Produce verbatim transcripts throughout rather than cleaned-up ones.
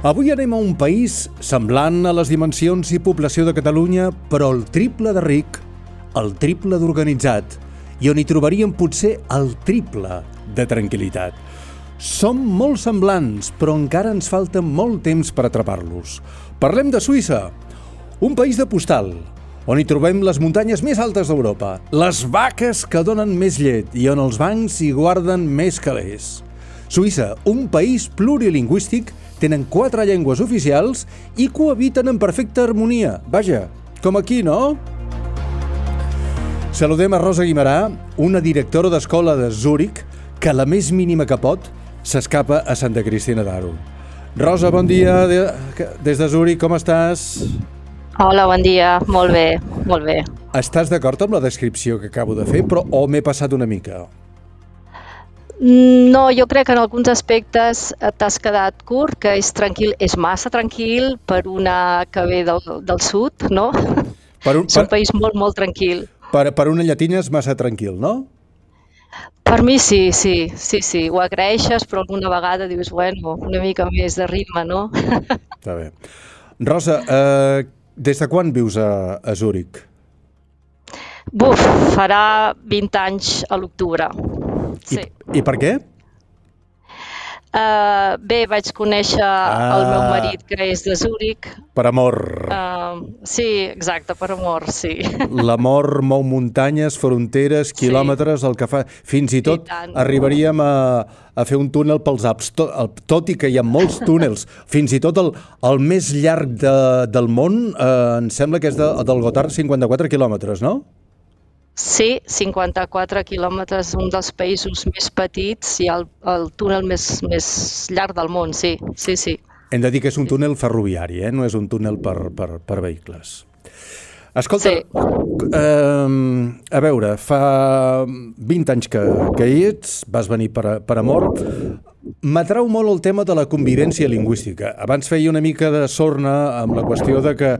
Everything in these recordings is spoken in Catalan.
Avui anem a un país semblant a les dimensions i població de Catalunya, però el triple de ric, el triple d'organitzat, i on hi trobaríem potser el triple de tranquil·litat. Som molt semblants, però encara ens falta molt temps per atrapar-los. Parlem de Suïssa, un país de postal, on hi trobem les muntanyes més altes d'Europa, les vaques que donen més llet i on els bancs hi guarden més calés. Suïssa, un país plurilingüístic, tenen quatre llengües oficials i cohabiten en perfecta harmonia. Vaja, com aquí, no? Saludem a Rosa Guimarà, una directora d'escola de Zúrich, que la més mínima que pot s'escapa a Santa Cristina d'Aro. Rosa, bon dia, des de Zúrich, com estàs? Hola, bon dia, molt bé, molt bé. Estàs d'acord amb la descripció que acabo de fer, però o m'he passat una mica? No, jo crec que en alguns aspectes t'has quedat curt, que és tranquil, és massa tranquil per una que ve del, del sud, no? Per un, és un per, país molt, molt tranquil. Per, per una llatina és massa tranquil, no? Per mi sí, sí, sí, sí, ho agraeixes, però alguna vegada dius, bueno, una mica més de ritme, no? Està bé. Rosa, eh, des de quan vius a, a Zúrich? Buf, farà vint anys a l'octubre. Sí. I, I per què? Uh, bé, vaig conèixer ah, el meu marit, que és de Zúrich. Per amor. Uh, sí, exacte, per amor, sí. L'amor mou muntanyes, fronteres, quilòmetres, sí. El que fa... Fins i tot I arribaríem a, a fer un túnel pels Alps, tot, tot i que hi ha molts túnels. Fins i tot el, el més llarg de, del món, eh, em sembla que és de, del Gotthard, cinquanta-quatre quilòmetres, no? Sí, cinquanta-quatre quilòmetres, un dels països més petits i el, el túnel més, més llarg del món, sí, sí, sí. Hem de dir que és un túnel ferroviari, eh? No és un túnel per, per, per vehicles. Escolta, sí. eh, a veure, fa vint anys que, que hi ets, vas venir per, per amor. M'atrau molt el tema de la convivència lingüística. Abans feia una mica de sorna amb la qüestió de que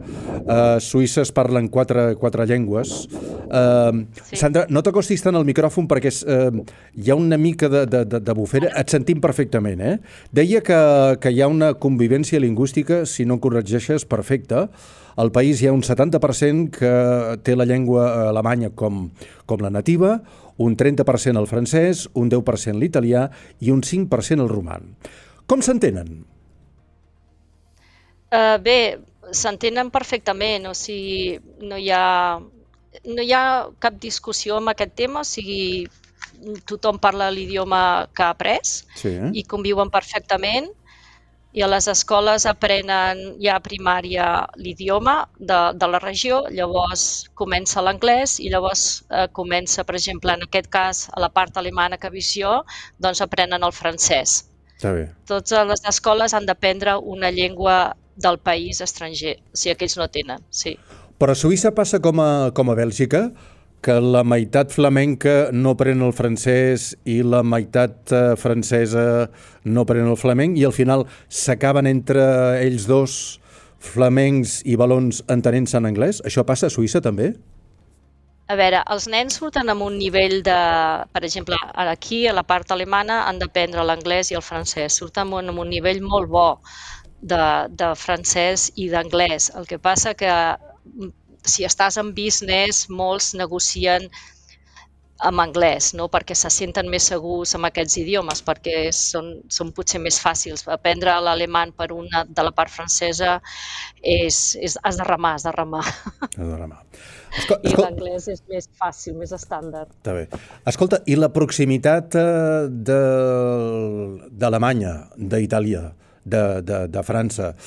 a Suïssa es parlen quatre, quatre llengües. Uh, sí. Sandra, no t'acostis tant al micròfon perquè és, uh, hi ha una mica de, de, de bufera. Et sentim perfectament, eh? Deia que, que hi ha una convivència lingüística, si no corregeixes, perfecta. Al país hi ha un setanta per cent que té la llengua alemanya com, com la nativa, un trenta per cent el francès, un deu per cent l'italià i un cinc per cent el roman. Com s'entenen? Uh, bé, s'entenen perfectament, o sigui, no hi ha, no hi ha cap discussió amb aquest tema, o sigui, tothom parla l'idioma que ha après, sí, eh? I conviuen perfectament. I a les escoles aprenen ja a primària l'idioma de, de la regió, llavors comença l'anglès i llavors eh, comença, per exemple, en aquest cas, a la part alemana que visc jo, doncs aprenen el francès. Està bé. Totes les escoles han d'aprendre una llengua del país estranger, o sigui, aquells no tenen, sí. Però a Suïssa passa com a, com a Bèlgica, que la meitat flamenca no pren el francès i la meitat eh, francesa no pren el flamenc i al final s'acaben entre ells dos flamencs i valons entenent-se en anglès? Això passa a Suïssa també? A veure, els nens surten amb un nivell de... Per exemple, aquí, a la part alemana, han d'aprendre l'anglès i el francès. Surten amb un, amb un nivell molt bo de, de francès i d'anglès. El que passa que si estàs en business, molts negocien en anglès, no? Perquè se senten més segurs amb aquests idiomes, perquè són, són potser més fàcils. Aprendre l'alemany per una de la part francesa és, és has de remar, has de remar. Has de remar. Escol I l'anglès és més fàcil, més estàndard. Està bé. Escolta, i la proximitat d'Alemanya, d'Itàlia, de, de, de França,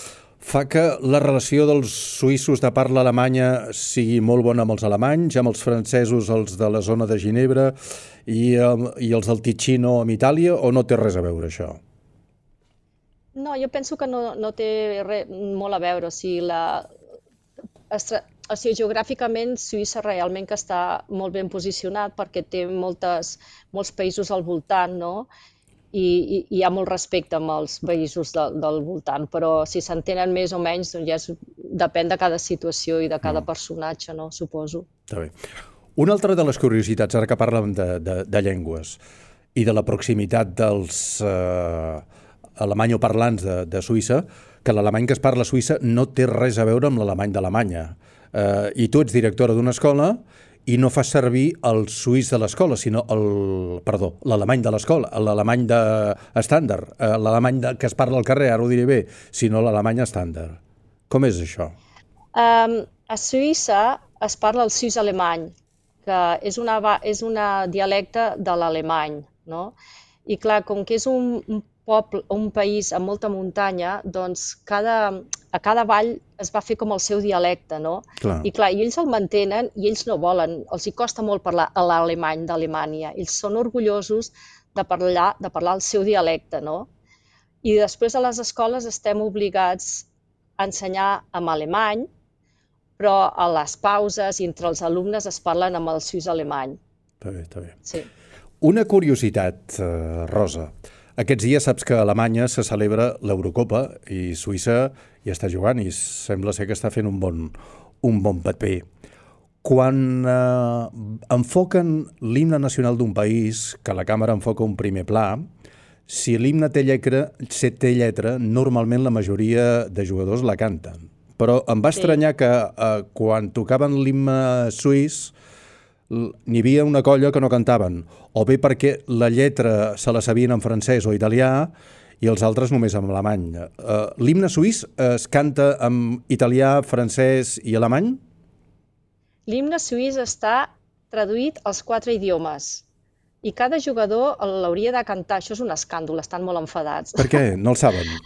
fa que la relació dels suïssos de parla alemanya sigui molt bona amb els alemanys, amb els francesos, els de la zona de Ginebra i, i els del Ticino amb Itàlia, o no té res a veure això? No, jo penso que no, no té res, molt a veure. O sigui, la, o sigui, geogràficament Suïssa realment que està molt ben posicionat perquè té moltes, molts països al voltant, no? I, i hi ha molt respecte amb els països de, del voltant, però si s'entenen més o menys, doncs ja és, depèn de cada situació i de cada mm. personatge, no? Suposo. Està bé. Una altra de les curiositats, ara que parlem de, de, de llengües i de la proximitat dels eh, alemanyoparlants de, de Suïssa, que l'alemany que es parla a Suïssa no té res a veure amb l'alemany d'Alemanya. Eh, I tu ets directora d'una escola i no fas servir el suís de l'escola, sinó el, perdó, l'alemany de l'escola, l'alemany de estàndard, eh, l'alemany de, que es parla al carrer, ara ho diré bé, sinó l'alemany estàndard. Com és això? Um, a Suïssa es parla el suís alemany, que és una, és una dialecte de l'alemany, no? I clar, com que és un, un poble, un país amb molta muntanya, doncs cada, a cada vall es va fer com el seu dialecte, no? Clar. I clar, i ells el mantenen i ells no volen, els hi costa molt parlar l'alemany d'Alemanya. Ells són orgullosos de parlar, de parlar el seu dialecte, no? I després a les escoles estem obligats a ensenyar en alemany, però a les pauses i entre els alumnes es parlen amb el suís alemany. Està bé, està bé. Sí. Una curiositat, Rosa. Aquests dies saps que a Alemanya se celebra l'Eurocopa i Suïssa hi està jugant i sembla ser que està fent un bon, un bon paper. Quan eh, enfoquen l'himne nacional d'un país, que la càmera enfoca un primer pla, si l'himne té lletra, té lletra, normalment la majoria de jugadors la canten. Però em va estranyar que eh, quan tocaven l'himne suís n'hi havia una colla que no cantaven, o bé perquè la lletra se la sabien en francès o italià i els altres només en alemany. Uh, L'himne suís es canta en italià, francès i alemany? L'himne suís està traduït als quatre idiomes i cada jugador l'hauria de cantar. Això és un escàndol, estan molt enfadats. Per què? No el saben?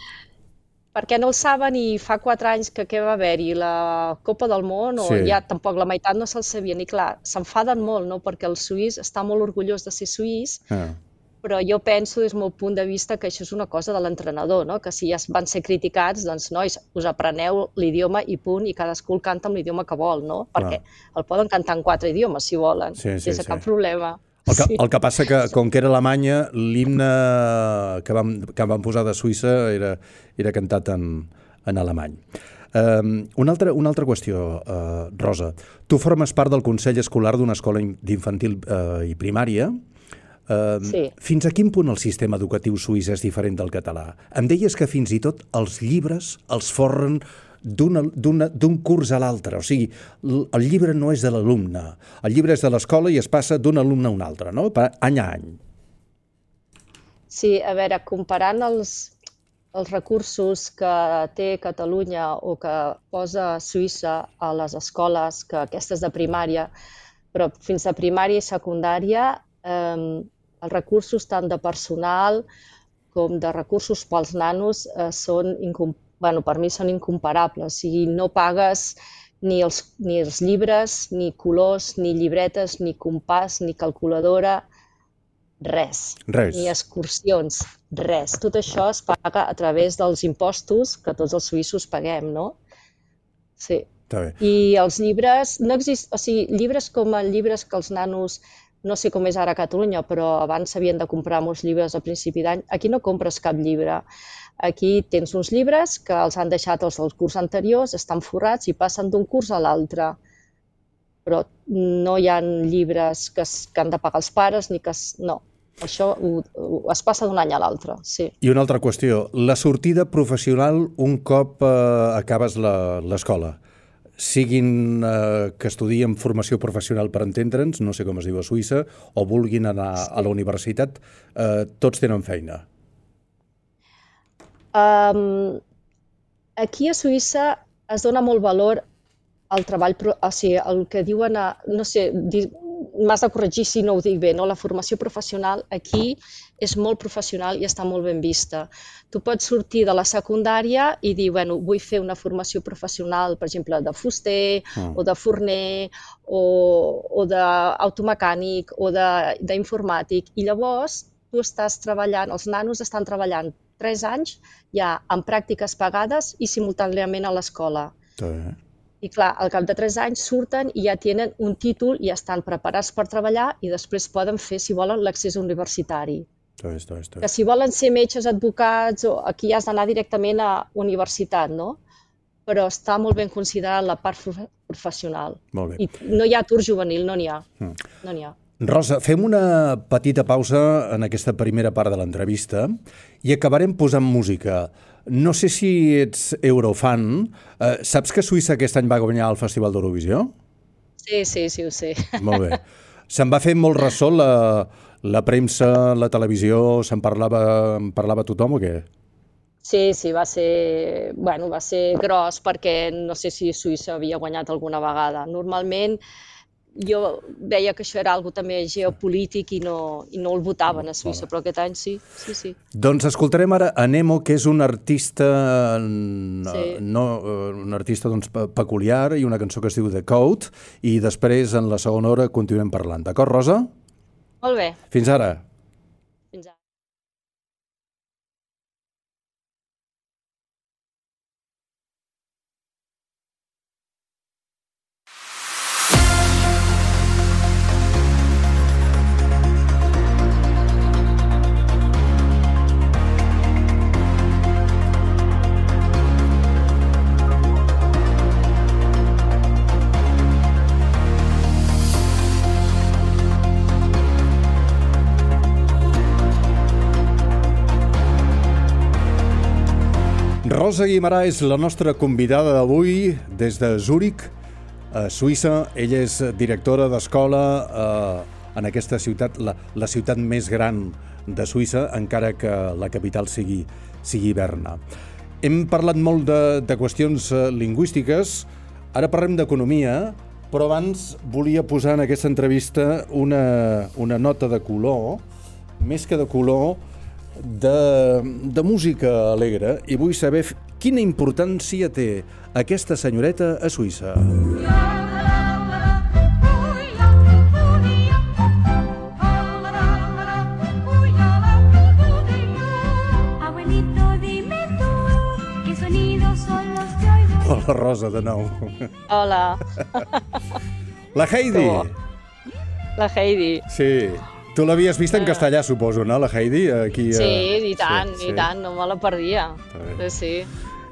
Perquè no el saben i fa quatre anys que què va haver-hi la Copa del Món o Sí. ja tampoc la meitat no se'l sabien. I clar, s'enfaden molt, no? Perquè el suís està molt orgullós de ser suís, Ah. però jo penso des del meu punt de vista que això és una cosa de l'entrenador, no? Que si ja van ser criticats, doncs nois, us apreneu l'idioma i punt, i cadascú el canta amb l'idioma que vol, no? Perquè el poden cantar en quatre idiomes si volen, Sí, sí, sense sí. cap problema. El que, Sí. el que passa que, com que era Alemanya, l'himne que vam, que vam posar de Suïssa era, era cantat en, en alemany. Um, una, altra, una altra qüestió, uh, Rosa. Tu formes part del Consell Escolar d'una escola d'infantil uh, i primària. Uh, Sí. Fins a quin punt el sistema educatiu suís és diferent del català? Em deies que fins i tot els llibres els forren d'un curs a l'altre. O sigui, el llibre no és de l'alumne. El llibre és de l'escola i es passa d'un alumne a un altre, no? Per any a any. Sí, a veure, comparant els, els recursos que té Catalunya o que posa Suïssa a les escoles, que aquestes de primària, però fins a primària i secundària, eh, els recursos tant de personal com de recursos pels nanos eh, són, bueno, per mi són incomparables. O sigui, no pagues ni els, ni els llibres, ni colors, ni llibretes, ni compàs, ni calculadora, res. Res. Ni excursions, res. Tot això es paga a través dels impostos que tots els suïssos paguem, no? Sí. Està bé. I els llibres, no exist, o sigui, llibres com els llibres que els nanos, no sé com és ara a Catalunya, però abans s'havien de comprar molts llibres a principi d'any, aquí no compres cap llibre. Aquí tens uns llibres que els han deixat els del curs anteriors, estan forrats i passen d'un curs a l'altre. Però no hi ha llibres que, es, que han de pagar els pares, ni que... Es, no, això ho, ho, es passa d'un any a l'altre, sí. I una altra qüestió, la sortida professional un cop eh, acabes l'escola. Siguin eh, que estudien formació professional per entendre'ns, no sé com es diu a Suïssa, o vulguin anar sí. a la universitat, eh, tots tenen feina. Um, aquí a Suïssa es dona molt valor al treball, o sigui, el que diuen, a, no sé, m'has de corregir si no ho dic bé, no? La formació professional aquí és molt professional i està molt ben vista. Tu pots sortir de la secundària i dir, bueno, vull fer una formació professional, per exemple, de fuster, mm. o de forner, o, o d'automecànic, o d'informàtic, i llavors tu estàs treballant, els nanos estan treballant tres anys ja en pràctiques pagades i simultàniament a l'escola. Sí. I clar, al cap de tres anys surten i ja tenen un títol i estan preparats per treballar i després poden fer, si volen, l'accés universitari. Sí, sí, sí. Que si volen ser metges, advocats, o aquí has d'anar directament a universitat, no? Però està molt ben considerada la part professional. Molt bé. I no hi ha atur juvenil, no n'hi ha. Mm. No n'hi ha. Rosa, fem una petita pausa en aquesta primera part de l'entrevista i acabarem posant música. No sé si ets eurofan. Eh, saps que Suïssa aquest any va guanyar el Festival d'Eurovisió? Sí, sí, sí, ho sé. Molt bé. Se'n va fer molt ressò la, la premsa, la televisió, se'n parlava, en parlava tothom o què? Sí, sí, va ser, bueno, va ser gros perquè no sé si Suïssa havia guanyat alguna vegada. Normalment jo veia que això era algo també geopolític i no, i no el votaven a Suïssa, però aquest any sí, sí, sí. Doncs escoltarem ara a Nemo, que és un artista, Sí. no, un artista doncs, pe- peculiar, i una cançó que es diu The Code, i després en la segona hora continuem parlant. D'acord, Rosa? Molt bé, Fins ara. fins ara. Rosa Guimarà és la nostra convidada d'avui des de Zúrich, a Suïssa. Ella és directora d'escola eh, en aquesta ciutat, la, la ciutat més gran de Suïssa, encara que la capital sigui, sigui Berna. Hem parlat molt de, de qüestions eh, lingüístiques, ara parlem d'economia, però abans volia posar en aquesta entrevista una, una nota de color, més que de color, de, de música alegre, i vull saber f- quina importància té aquesta senyoreta a Suïssa. Abuelito, dime tú, ¿qué sonidos son los que oigo? Hola, Rosa, de nou. Hola, La Heidi! Oh. la Heidi. Sí. Tu l'havies vist en castellà, suposo, no, la Heidi? Aquí, Sí, eh, i tant, sí, i sí. tant, no me la perdia. bé. Sí, sí,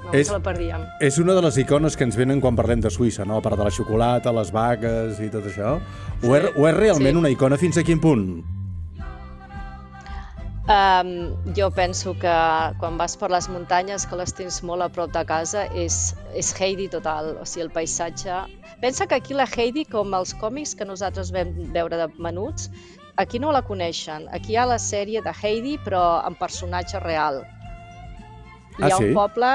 no És- me la perdíem. És una de les icones que ens venen quan parlem de Suïssa, no? A part de la xocolata, les vaques i tot això. Ho és, ho és realment sí. una icona fins a quin punt? Um, jo penso que quan vas per les muntanyes, que les tens molt a prop de casa, és, és Heidi total, o sigui, el paisatge. Pensa que aquí la Heidi, com els còmics que nosaltres vam veure de menuts, aquí no la coneixen. Aquí hi ha la sèrie de Heidi, però en personatge real. Hi Ah, ha sí? un poble...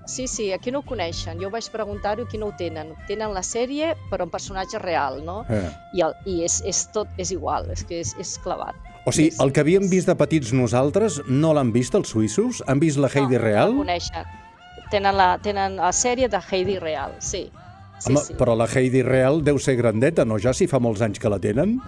Sí, sí, aquí no ho coneixen. Jo vaig preguntar-ho, aquí no ho tenen. Tenen la sèrie, però en personatge real, no? Eh. I, el, i és, és tot, és igual, és que és, és clavat. O sigui, És- el que havíem vist de petits nosaltres no l'han vist els suïssos? Han vist la Heidi no, real? No la coneixen. Tenen la, tenen la sèrie de Heidi real, sí. Sí, Home, sí. però la Heidi real deu ser grandeta, no? Ja si fa molts anys que la tenen?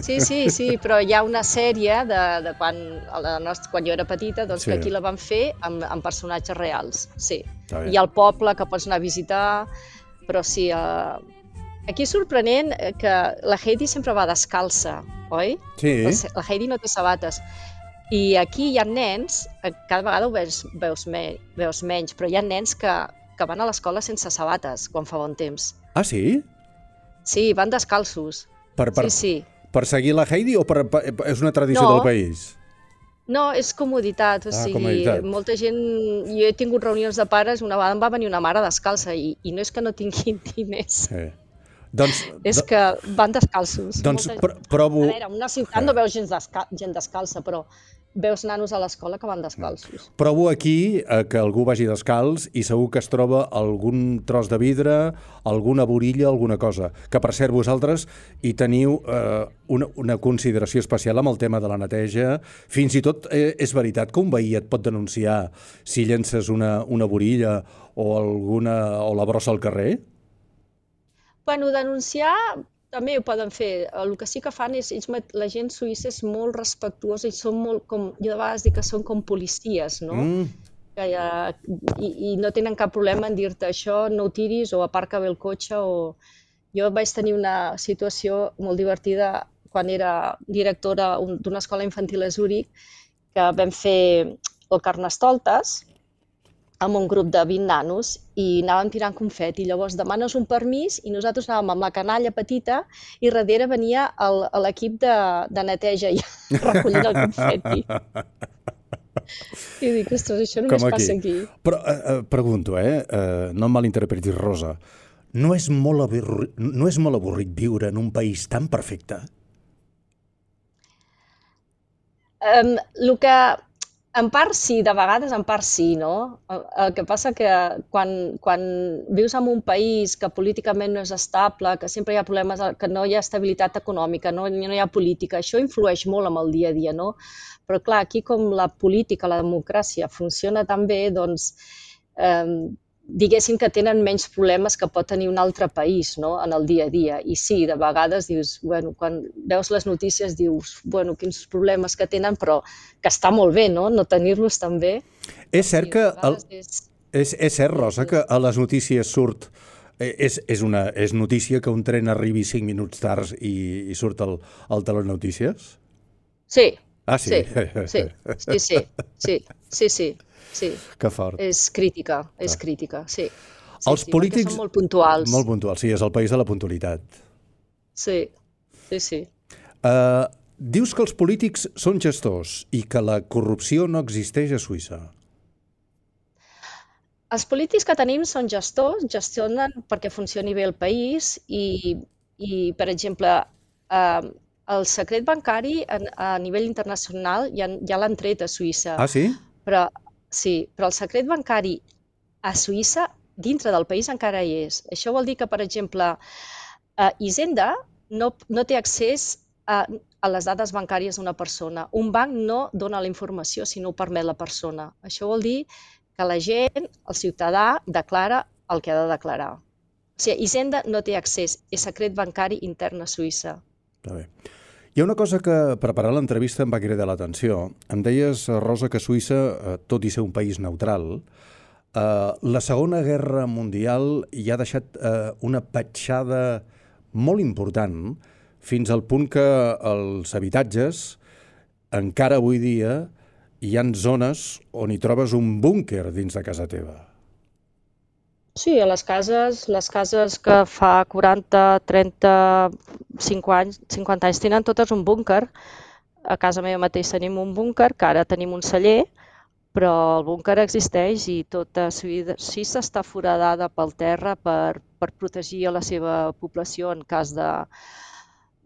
sí, sí, sí, però hi ha una sèrie de, de quan, a la nostra, quan jo era petita, doncs Sí. que aquí la van fer amb, amb personatges reals, sí. Està bé. Hi ha el poble que pots anar a visitar, però sí, eh, aquí és sorprenent eh, que la Heidi sempre va descalça, oi? Sí. La, la Heidi no té sabates. I aquí hi ha nens, eh, cada vegada ho veus, veus, me, veus menys, però hi ha nens que, que van a l'escola sense sabates quan fa bon temps. Ah, sí? Sí, van descalços. Per, per, Sí, sí. per seguir la Heidi o per, per, és una tradició No. del país? No, és comoditat, o Ah, sigui, comoditat. molta gent... Jo he tingut reunions de pares, una vegada em va venir una mare descalça i, i no és que no tinguin diners, Sí. Doncs, és que van descalços. doncs Molta- pr provo... A veure, en una ciutat no veus gent, desca gent descalça, però veus nanos a l'escola que van descalços. Provo aquí eh, que algú vagi descalç i segur que es troba algun tros de vidre, alguna borilla, alguna cosa. Que, per cert, vosaltres hi teniu eh, una, una consideració especial amb el tema de la neteja. Fins i tot eh, és veritat que un veí et pot denunciar si llences una, una borilla o, alguna, o la brossa al carrer? Bueno, denunciar també ho poden fer. El que sí que fan és, ells, mat- la gent suïssa és molt respectuosa i són molt com, jo de vegades dic que són com policies, no? Mm. Que hi ha, i, i no tenen cap problema en dir-te això, no ho tiris o aparca bé el cotxe o... Jo vaig tenir una situació molt divertida quan era directora un- d'una escola infantil a Zúrich, que vam fer el Carnestoltes amb un grup de vint nanos i anàvem tirant confeti. Llavors demanes un permís i nosaltres anàvem amb la canalla petita i darrere venia el- l'equip de, de neteja i recollint el confeti. I dic, ostres, això només Com aquí. passa aquí. Però eh, eh, pregunto, eh, eh, no em malinterpretis, Rosa, no és, molt avorrit, no és molt avorrit viure en un país tan perfecte? Um, el que, en part sí, de vegades en part sí, no? El, el que passa que quan, quan vius en un país que políticament no és estable, que sempre hi ha problemes, que no hi ha estabilitat econòmica, no, no hi ha política, això influeix molt en el dia a dia, no? Però clar, aquí com la política, la democràcia funciona tan bé, doncs eh, diguéssim que tenen menys problemes que pot tenir un altre país, no? En el dia a dia. I sí, de vegades dius, bueno, quan veus les notícies dius, bueno, quins problemes que tenen, però que està molt bé, no? No tenir-los tan bé. És cert Sí, que... de El, vegades és... és, és cert, Rosa, que a les notícies surt... eh, És, és, una, és notícia que un tren arribi cinc minuts tard i, i surt al, al Telenotícies? Sí, Ah, sí? sí, sí, sí, sí, sí, sí, sí, sí. Que fort. És crítica, és crítica, sí. Sí, Els sí, polítics... perquè són molt puntuals. Molt puntuals, sí, és el país de la puntualitat. Sí, sí, sí. Uh, dius que els polítics són gestors i que la corrupció no existeix a Suïssa. Els polítics que tenim són gestors, gestionen perquè funcioni bé el país i, i per exemple, eh, el secret bancari a, a nivell internacional ja, ja l'han tret a Suïssa. Ah, sí? Però, sí, però el secret bancari a Suïssa, dintre del país, encara hi és. Això vol dir que, per exemple, eh, Hisenda no, no té accés a, a les dades bancàries d'una persona. Un banc no dona la informació si no ho permet la persona. Això vol dir que la gent, el ciutadà, declara el que ha de declarar. O sigui, Hisenda no té accés, és secret bancari intern a Suïssa. Està bé. Hi ha una cosa que, preparant l'entrevista, em va cridar l'atenció. Em deies, Rosa, que Suïssa, eh, tot i ser un país neutral, eh, la Segona Guerra Mundial hi ha deixat eh, una petjada molt important, fins al punt que els habitatges, encara avui dia, hi ha zones on hi trobes un búnquer dins de casa teva. Sí, a les cases, les cases que fa quaranta, trenta, cinquanta anys, cinquanta anys tenen totes un búnquer. A casa meva mateix tenim un búnquer, que ara tenim un celler, però el búnquer existeix i tota Suïssa està foradada pel terra per, per protegir a la seva població en cas de,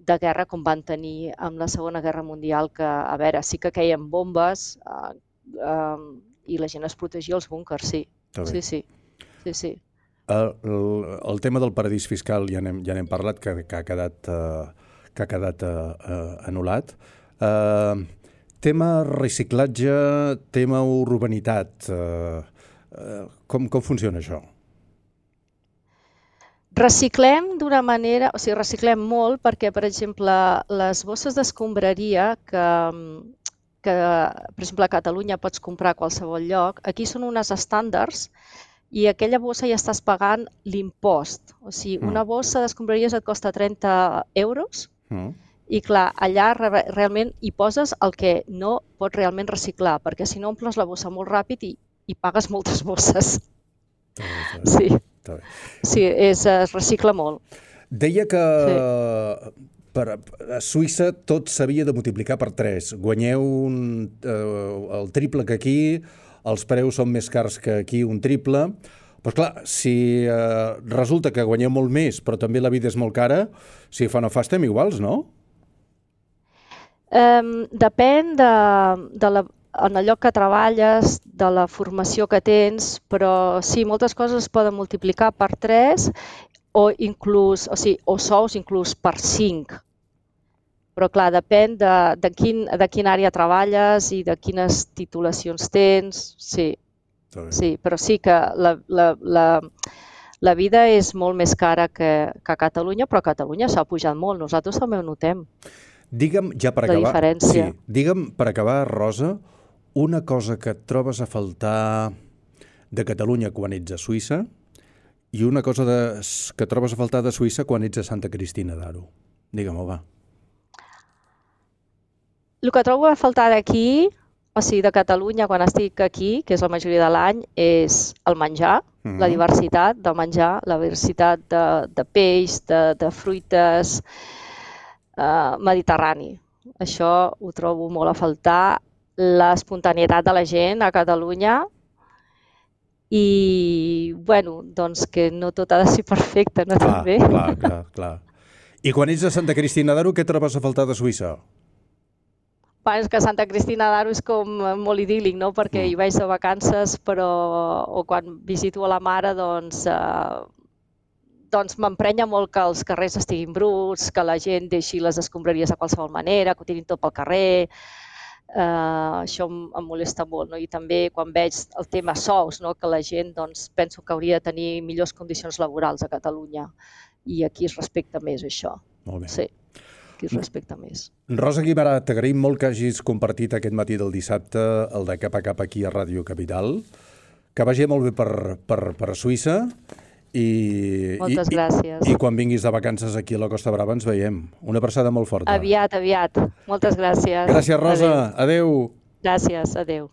de guerra, com van tenir amb la Segona Guerra Mundial, que, a veure, sí que queien bombes eh, eh, i la gent es protegia als búnquers, sí. Sí, sí. Sí, sí. El, el, el tema del paradís fiscal ja n'hem ja n'hem parlat, que, que ha quedat, uh, que ha quedat uh, uh, anul·lat. Uh, tema reciclatge, tema urbanitat, uh, uh, com, com funciona això? Reciclem d'una manera, o sigui, reciclem molt perquè, per exemple, les bosses d'escombraria que, que, per exemple, a Catalunya pots comprar a qualsevol lloc, aquí són unes estàndards i aquella bossa ja estàs pagant l'impost. O sigui, Mm. una bossa d'escombraries et costa trenta euros Mm. i, clar, allà re- realment hi poses el que no pots realment reciclar, perquè si no omples la bossa molt ràpid i, i pagues moltes bosses. Està bé, està bé, Sí, està bé. sí, és, es recicla molt. Deia que per, a Suïssa tot s'havia de multiplicar per tres. Guanyeu un, eh, el triple que aquí, els preus són més cars que aquí, un triple. Però clar, si eh, resulta que guanyeu molt més, però també la vida és molt cara, si fa no fa estem iguals, no? Um, depèn de, de la, en el lloc que treballes, de la formació que tens, però sí, moltes coses es poden multiplicar per tres o inclús, o sigui, o sous inclús per cinc. Però clar, depèn de, de, quin, de quina àrea treballes i de quines titulacions tens, sí. Està bé. Sí, però sí que la, la, la, la vida és molt més cara que, que a Catalunya, però a Catalunya s'ha pujat molt, nosaltres també ho notem. Digue'm, ja per La acabar... diferència. Sí, digue'm, per acabar, Rosa, una cosa que et trobes a faltar de Catalunya quan ets a Suïssa i una cosa de, que trobes a faltar de Suïssa quan ets a Santa Cristina d'Aro. Digue'm-ho, va. El que trobo a faltar d'aquí, o sigui, de Catalunya, quan estic aquí, que és la majoria de l'any, és el menjar, Mhm. la diversitat del menjar, la diversitat de, de peix, de, de fruites, eh, mediterrani. Això ho trobo molt a faltar, l'espontaneïtat de la gent a Catalunya i, bueno, doncs que no tot ha de ser perfecte, no? Clar, També. clar, clar, clar. I quan ets a Santa Cristina d'Aro, què trobes a faltar de Suïssa? Bueno, és que Santa Cristina d'Aro és com molt idíl·lic, no? Perquè Mm. hi vaig de vacances, però o quan visito a la mare, doncs, eh, doncs m'emprenya molt que els carrers estiguin bruts, que la gent deixi les escombraries de qualsevol manera, que ho tirin tot pel carrer. Eh, això em, em molesta molt, no? I també quan veig el tema sous, no? Que la gent, doncs, penso que hauria de tenir millors condicions laborals a Catalunya i aquí es respecta més això. Molt bé. Sí, aquí es respecta més. Rosa Guimarà, t'agraïm molt que hagis compartit aquest matí del dissabte el de cap a cap aquí a Ràdio Capital. Que vagi molt bé per, per, per Suïssa i, Moltes i, gràcies. i, i quan vinguis de vacances aquí a la Costa Brava ens veiem. Una abraçada molt forta. Aviat, aviat. Moltes gràcies. Gràcies, Rosa. Adéu. Gràcies, adéu.